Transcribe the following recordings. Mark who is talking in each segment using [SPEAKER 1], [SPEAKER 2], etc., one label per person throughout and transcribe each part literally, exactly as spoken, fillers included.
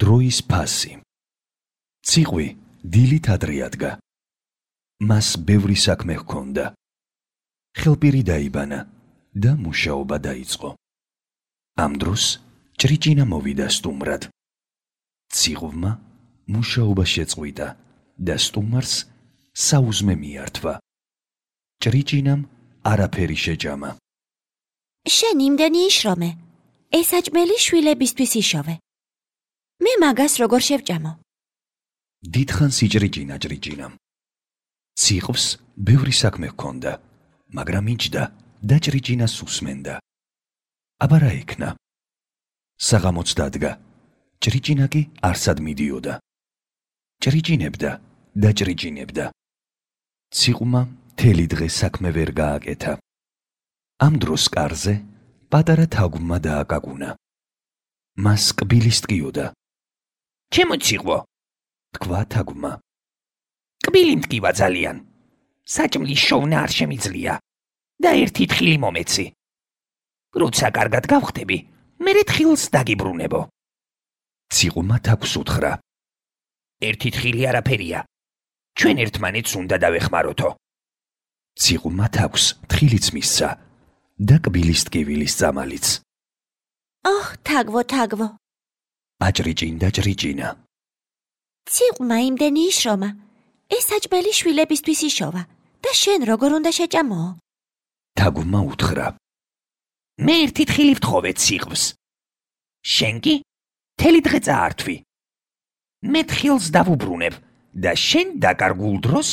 [SPEAKER 1] დროის ფასი. ციყვი დილით ადრე ადგა. მას ბევრი საქმე ჰქონდა. ხელპირი დაიბანა და მუშაობა დაიწყო. ამ დროს ჭრიჭინა მოვიდა სტუმრად. ციყვმა მუშაობა შეწყვიტა და სტუმარს საუზმე მიართვა. ჭრიჭინამ არაფერი შეჭამა.
[SPEAKER 2] შენ იმდენი იშრომე, ეს აჭმელი შვილებისთვის იშოვე. მე მაგას როგორ შევჭამო?
[SPEAKER 1] დიდხანს იჭრიჭინა ჭრიჭინამ. ციყვს ბევრი საქმე ჰქონდა, მაგრამ იჯდა და ჭრიჭინას უსმენდა. აბა რა იქნა? საღამოც დადგა. ჭრიჭინა კი არსად მიდიოდა. ჭრიჭინებდა და ჭრიჭინებდა. ციყვმა მთელი დღე საქმე ვერ გააკეთა. ამ დროს კარზე პატარა თაგვმა დააკაკუნა. მას კბილი სტკიოდა.
[SPEAKER 3] ჩემო ციყვო,
[SPEAKER 1] თქვა თაგვმა.
[SPEAKER 3] კბილი მტკივა ძალიან. საჭმლის შოვნა არ შემიძლია და ერთი თხილი მომეცი. როცა კარგად გავხდები, მერე თხილს დაგიბრუნებო.
[SPEAKER 1] ციყვმა თაგვს უთხრა.
[SPEAKER 3] ერთი თხილი არაფერია. ჩვენ ერთმანეთს უნდა დავეხმაროთო.
[SPEAKER 1] ციყვმა თაგვს თხილიც მისცა და კბილის ტკივილის წამალიც.
[SPEAKER 2] ოჰ, თაგვო, თაგვო.
[SPEAKER 1] აჭრიჭინდა ჭრიჭინა.
[SPEAKER 2] ციყვმა იმდენი იშრომა, ეს აჭმელი შვილებისთვის იშოვა და შენ როგორ უნდა შეჭამო?
[SPEAKER 1] თაგვმა უთხრა.
[SPEAKER 3] მე ერთი თხილი ვთხოვე ციყვს. შენ კი მთელი დღე წაართვი. მე თხილს დავუბრუნებ და შენ დაკარგულ დროს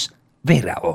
[SPEAKER 3] ვერაო.